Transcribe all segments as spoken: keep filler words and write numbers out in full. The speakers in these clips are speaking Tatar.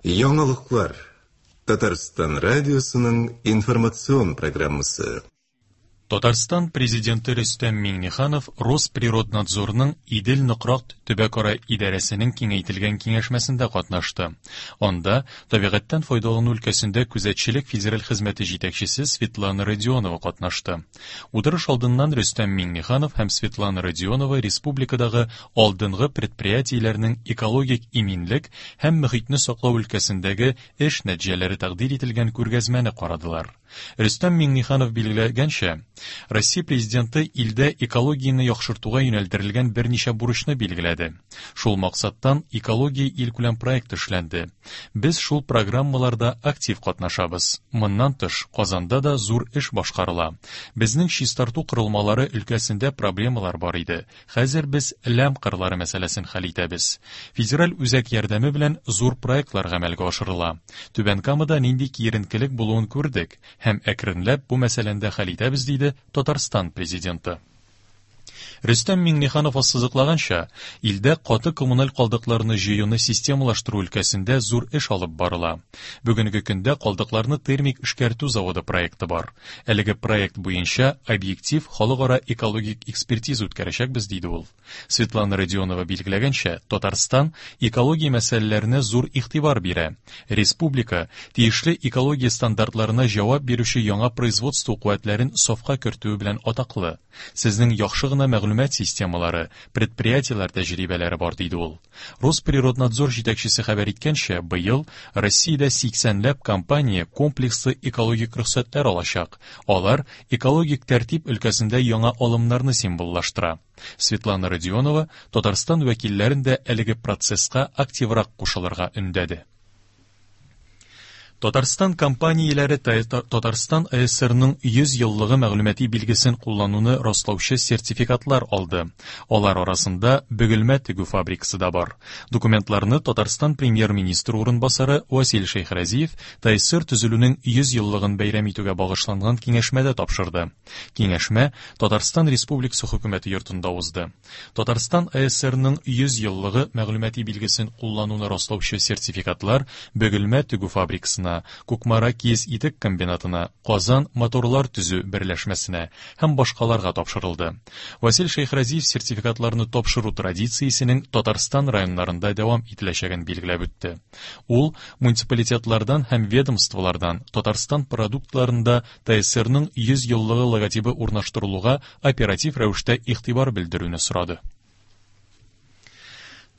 Яңалыклар. Татарстан радиосының информацион программасы. Татарстан Президенты Рөстәм Миңнеханов Росприроднадзорның Идел-Нократ төбәкара идарәсенең киңәйтелгән киңәшмәсендә катнашты. Анда табигатьтән файдалану өлкәсендә күзәтчелек федераль хезмәте җитәкчесе Светлана Родионова катнашты. Утырыш алдыннан Рөстәм Миңнеханов һәм Светлана Родионова республикадагы алдынгы предприятиеләрнең экологик иминлек һәм мөхитне саклау өлкәсендәге эш нәтиҗәләре тәкъдир ителгән күргәзмәне карадылар. Рөстәм Миңнеханов билгеләгәнчә, Россия Президенты илдә экологияне яхшыртуга юнәлдерелгән берничә бурычны билгеләде. Шул максаттан экология илкүләм проект эшләнде. Без шул программаларда актив катнашабыз. Моннан тыш, Казанда да зур эш башкарыла. Безнең чистарту корылмалары өлкәсендә проблемалар бар иде. Хәзер без ләм кырлары мәсьәләсен хәл итәбез. Федераль үзәк ярдәме белән зур проектлар гамәлгә ашырыла. Түбән Камада нинди киеренкелек булуын күрдек һәм әкренләп бу мәсьәләне дә хәл итәбез, диде Татарстан Президенты. Рөстәм Миңнеханов ассызыклаганча, илдә каты коммуналь калдыкларны җыюны системалаштыру өлкәсендә зур эш алып барыла. Бүгенге көндә калдыкларны термик эшкәртү заводы проекты бар. Әлеге проект буенча объектив халыкара экологик экспертиза үткәрәчәкбез, диде ул. Светлана Родионова билгеләгәнчә, Татарстан экология мәсьәләләренә зур игътибар бирә. Республика тиешле экология стандартларына җавап бирүче яңа производство куәтләрен сафка кертүе белән атаклы. Сезнең яхшы гына мәгълүмат системалары, предприятиеләр тәҗрибәләре бар, диде ул. Росприроднадзор җитәкчесе хәбәр иткәнчә, быел Россиядә сиксәнләп компания комплекслы экологик рөхсәтләр алачак. Алар экологик тәртип өлкәсендә яңа алымнарны символлаштыра. Светлана Родионова Татарстан вәкилләрен дә әлеге процесска активрак кушылырга өндәде. Татарстан компанияләре Татарстан А С С Рның йөз еллыгы мәгълүмати билгесен куллануны раслаучы сертификатлар алды. Алар арасында Бөгелмә тегү фабрикасы да бар. Документларны Татарстан премьер-министры урынбасары Васил Шәйхразиев Т А С С Р төзелүнең йөз еллыгын бәйрәм итүгә багышланган киңәшмәдә тапшырды. Киңәшмә Татарстан Республикасы хөкүмәте йортында узды. Татарстан А С С Рның йөз еллыгы мәгълүмати билгесен куллануны раслаучы сертификатлар Бөгелмә тегү фабрикасына, Кукмара киез итек комбинатына, Казан моторлар төзү берләшмәсенә һәм башкаларга тапшырылды. Васил Шәйхразиев сертификатларны тапшыру традициясенең Татарстан районнарында дәвам ителәчәген билгеләп үтте. Ул муниципалитетлардан һәм ведомстволардан Татарстан продуктларында Т А С С Рның йөз еллыгы логотибы урнаштырылуга оператив рәвештә игътибар белдерүне сорады.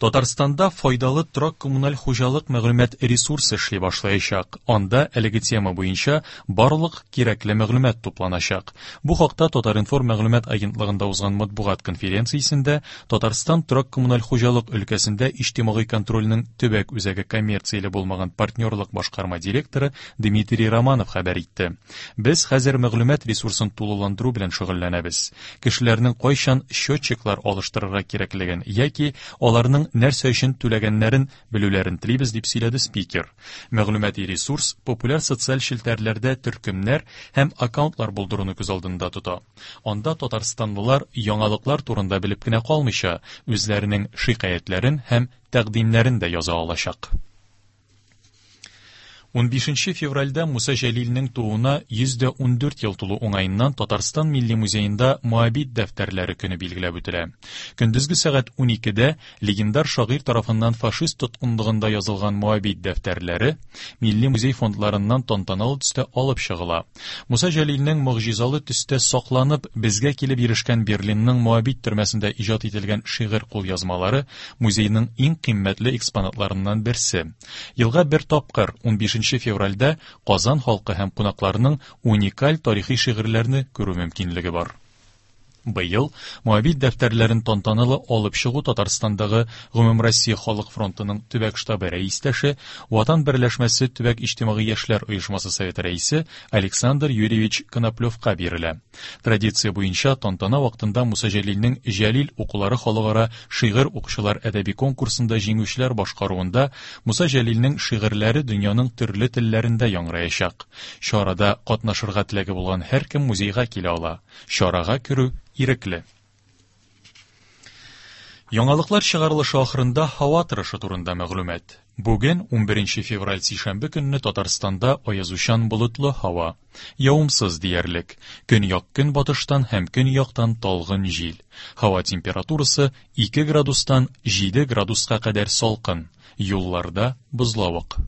Татарстанда файдалы торак коммуналь хуҗалык мәгълүмат ресурсы эшли башлаячак. Анда әлеге тема буенча барлык кирәкле мәгълүмат тупланачак. Бу хакта Татар-информ мәгълүмат агентлыгында узган матбугат конференциясендә Татарстан торак коммуналь хуҗалык өлкәсендә иҗтимагый контрольнең төбәк үзәге коммерцияле булмаган партнерлык башкарма директоры Дмитрий Романов хәбәр итте. Без хәзер мәгълүмат ресурсын тулыландыру белән шөгыльләнәбез. Кешеләрнең кайчан счетчиклар алыштырырга кирәклеген яки аларның нәрсә өчен түләгәннәрен белүләрен телибез, дип сөйләде спикер. Мәгълүмати ресурс популяр социаль челтәрләрдә төркемнәр һәм аккаунтлар булдыруны күз алдында тота. Анда татарстанлылар яңалыклар турында белеп кенә калмыйча, үзләренең шикаятьләрен һәм тәкъдимнәрен дә яза алачак. Унбишенче февральдә Муса Җәлилнең тууына йөз дә ундүрт ел тулу уңаеннан Татарстан Милли музеенда Моабит дәфтәрләре көне билгеләп үтелә. Көндезге сәгать уникедә легендар шагыйрь тарафыннан фашист тоткынлыгында язылган Моабит дәфтәрләре Милли музей фондларыннан тантаналы төстә алып чыгыла. Муса Җәлилнең могҗизалы төстә сакланып, безгә килеп ирешкән Берлинның Моабит төрмәсендә иҗат ителгән шигырь кулъязмалары музейның иң кыйммәтле экспонатларыннан берсе. Елга бер тапкыр, унбишенче февральдә, Казан халкы һәм кунакларының уникаль тарихи шигырьләрне күрү мөмкинлеге бар. Быел Моабит дәфтәрләрен тантаналы алып чыгу Татарстандагы Гомумроссия халык фронтының төбәк штабы рәистәше, Ватан берләшмәсе төбәк иҗтимагый яшьләр оешмасы советы рәисе Александр Юрьевич Коноплевка бирелә. Традиция буенча тантана вакытында Муса Җәлилнең Җәлил укулары халыкара шигырь укучылар әдәби конкурсында җиңүчеләр башкаруында Муса Җәлилнең шигырьләре дөньяның төрле телләрендә яңгыраячак. Чарада катнашырга теләге булган һәркем музейга килә ала. Чарага керү ирекле. Яңалыклар чыгарылышы ахырында һава торышы турында мәгълүмат. Бүген унберенче февраль сишәмбе көнне Татарстанда аязучан болытлы һава. Явымсыз диярлек. Көньяк-көнбатыштан һәм көньяктан талгын җил. Һава температурасы ике градустан җиде градуска кадәр салкын. Юлларда бозлавык.